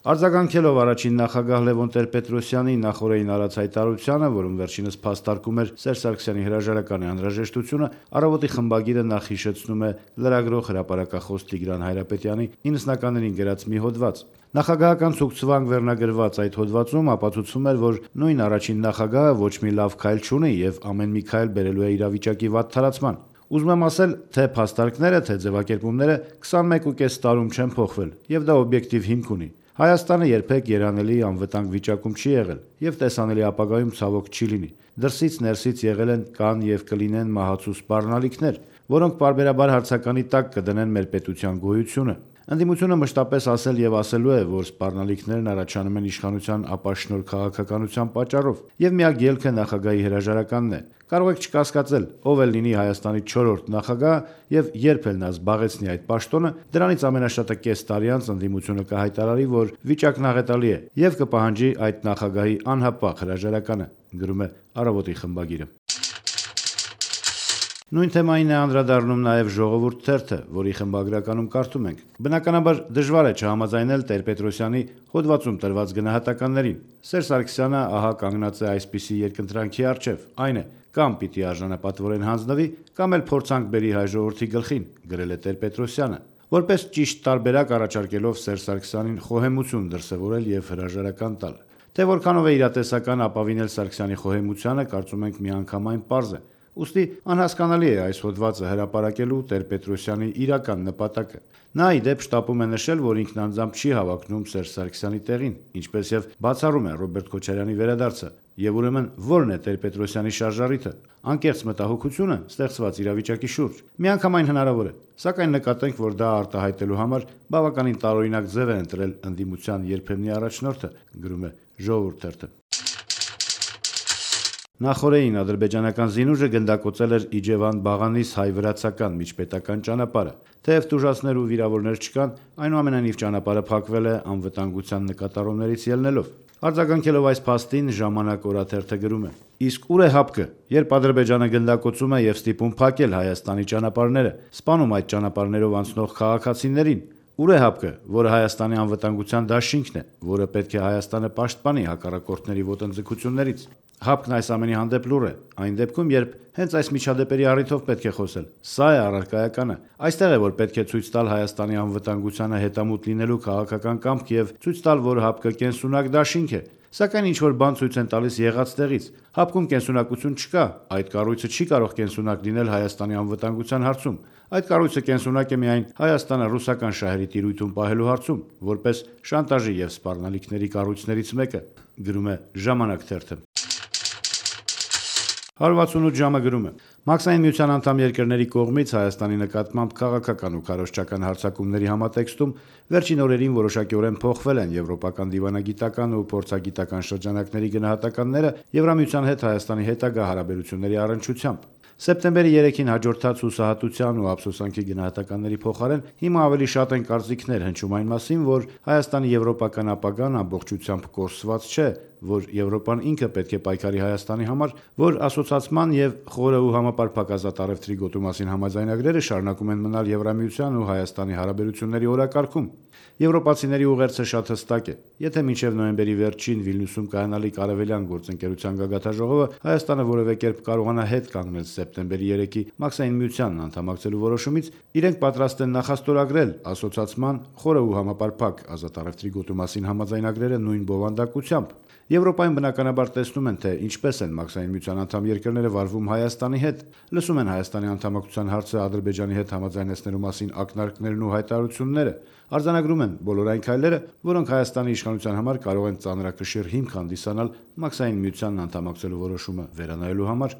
Արձագանքելով առաջին նախագահ Լևոն Տեր-Պետրոսյանի նախօրեին արած հայտարարությանը, որում վերջինս փաստարկում էր Սերժ Սարգսյանի հրաժարականի անհրաժեշտությունը, Առավոտի խմբագիրը նախ հիշեցնում է լրագրող հրապարակախոս Տիգրան Հայրապետյանի 90-ականներին գրած մի հոդված։ Նախագահական ցուցվանք վերնագրված այդ հոդվածում ապացուցվում էր, որ նույն առաջին նախագահը ոչ մի լավ քայլ չունի եւ ամեն մի քայլ բերելու է իրավիճակի վատ թարացման։ Ուզում եմ ասել, թե փաստարկները, թե ձևակերպումները 21.5 տարում չեն փոխվել եւ դա օբյեկտիվ հիմք ունի։ Հայաստանը երբեք երանելի անվտանգ վիճակում չի եղել եւ տեսանելի ապագայում ցավոք չի լինի։ Դրսից ներսից եղել են, կան եւ կլինեն մահացու սպառնալիքներ, որոնք պարբերաբար հարցականի տակ կդնեն մեր պետության գոյությունը։ Ընդդիմությունը մշտապես ասել եւ ասելու է, որ սպառնալիքներն առաջանում են իշխանության ապաշնոր քաղաքականության պատճառով, եւ միակ ելքը նախագահի հրաժարականն է։ Կարող եք չկասկածել, ով էլ լինի Հայաստանի 4-րդ նախագահ եւ երբ էլ նա զբաղեցնի այդ պաշտոնը, դրանից ամենաշատը կես տարի անց ընդդիմությունը կհայտարարի, որ վիճակն աղետալի է եւ կպահանջի այդ նախագահի անհապաղ հրաժարականը, գրում է Առավոտի խմբագիրը։ Նույն թեմային է անդրադառնում նաև Ժողովուրդ թերթը, որի խմբագրականում կարդում ենք. Բնականաբար դժվար է չհամաձայնել Տեր-Պետրոսյանի հոդվածում տրված գնահատականներին։ Սերժ Սարգսյանը ահա կանգնած է այսպիսի երկընտրանքի առջև, այն է, կամ պիտի արժանապատվորեն հանձնվի, կամ էլ փորձանք բերի հայ ժողովրդի գլխին, գրել է Տեր-Պետրոսյանը, որպես ճիշտ տարբերակ առաջարկելով Սերժ Սարգսյանին խոհեմություն դրսևորել եւ հրաժարական տալ։ Թե որքանով է իրատեսական ապավինել Սարգսյանի խոհեմությանը, կարծում ենք միանգամայն պարզ է։ Ուստի անհասկանալի է այս հոդվածը հրապարակելու Տեր-Պետրոսյանի իրական նպատակը։ Նա ի դեպ շտապում է նշել, որ ինքն անձամբ չի հավակնում Սերժ Սարգսյանի տեղին, ինչպես եւ բացառում է Ռոբերտ Քոչարյանի վերադարձը։ Եվ ուրեմն ո՞րն է Տեր-Պետրոսյանի շարժառիթը։ Անկեղծ մտահոգությունը ստեղծված իրավիճակի շուրջ։ Միանգամայն հնարավոր է, սակայն նկատենք, որ դա արտահայտելու համար բավականին տարօրինակ ձև է ընտրել ընդդիմության երբեմնի առաջնորդը, գրում է Ժողովուրդ թերթը։ Նախօրեին ադրբեջանական զինուժը գնդակոծել էր Իջևան-Բաղանիս հայ-վրացական միջպետական ճանապարհը։ Թեև տուժածներ ու վիրավորներ չկան, այնուամենայնիվ ճանապարհը փակվել է անվտանգության նկատառումներից ելնելով։ Արձագանքելով այս փաստին, Ժամանակ օրաթերթը գրում է. Իսկ ուր է հապկը, երբ Ադրբեջանը գնդակոծում է եւ ստիպում փակել Հայաստանի ճանապարհները, սպանում այդ ճանապարհներով անցնող քաղաքացիներին։ Ուր է հապկը, որը Հայաստանի անվտանգության դաշինքն է, որը պետք է Հայաստանը պաշտպանի հակառակորդների ոտնձգություններից։ Հապկն այս ամենի հանդեպ լուռ է, այն դեպքում, երբ հենց այս միջադեպերի առիթով պետք է խոսել։ Սա է առարկայականը։ Այստեղ է, որ պետք է ցույց տալ Հայաստանի անվտանգությանը հետամուտ լինելու քաղաքական կամք եւ ցույց տալ, որ հապկը կենսունակ դաշինք է։ Սակայն ինչ-որ բան ցույց են տալիս եղած տեղից։ Հապկում կենսունակություն չկա, այդ կառույցը չի կարող կենսունակ լինել Հայաստանի անվտանգության հարցում։ Այդ կառույցը կենսունակ է միայն Հայաստանը ռուսական շահերի տիրույթում պահելու հարցում, որպես շանտաժի եւ սպառնալիքների կառույցներից մեկը, գրում է Ժամանակ թերթը։ 168 ժամը գրում է. Մաքսային միության անդամ երկրների կողմից Հայաստանի նկատմամբ քաղաքական ու քարոզչական հարձակումների համատեքստում վերջին օրերին որոշակիորեն փոխվել են եվրոպական դիվանագիտական ու փորձագիտական շրջանակների գնահատականները Եվրամիության հետ Հայաստանի հետագա հարաբերությունների առնչությամբ։ Սեպտեմբերի 3-ին հաջորդած հուսահատության ու ափսոսանքի գնահատականների փոխարեն հիմա ավելի շատ են կարծիքներ հնչում այն մասին, որ Հայաստանի եվրոպական ապագան ամբողջությամբ կորսված չէ, որ Եվրոպան ինքը պետք է պայքարի Հայաստանի համար, որ ասոցացման եւ խորը ու համապարփակ ազատ առևտրի գոտու մասին համաձայնագրերը շարունակում են մնալ Եվրամիության ու Հայաստանի հարաբերությունների օրակարգում։ Եվրոպացիների ուղերձը շատ հստակ է։ Եթե մինչև նոյեմբերի վերջին Վիլնյուսում կայանալի Կարևելյան գործընկերության գագաթաժողովը Հայաստանը որևէ կերպ կարողանա հետ կանգնել սեպտեմբերի 3-ի Մաքսային միությանն անդամակցելու որոշումից, իրենք պատրաստ են նախաստորագրել ասոցացման խորը ու համապարփակ ազատ առևտրի գոտու մասին համաձայնագրերը նույն բովանդակությամբ։ Եվրոպայում բնականաբար տեսնում են, թե ինչպես են Մաքսային միության անդամ երկրները վարվում Հայաստանի հետ, լսում են Հայաստանի անդամակցության հարցը Ադրբեջանի հետ համաձայնեցնելու մասին ակնարկներն ու հայտարարությունները, արձանագրում են բոլոր այն քայլերը, որոնք Հայաստանի իշխանության համար կարող են ծանրակշիռ հիմք հանդիսանալ Մաքսային միությանն անդամակցելու որոշումը վերանայելու համար։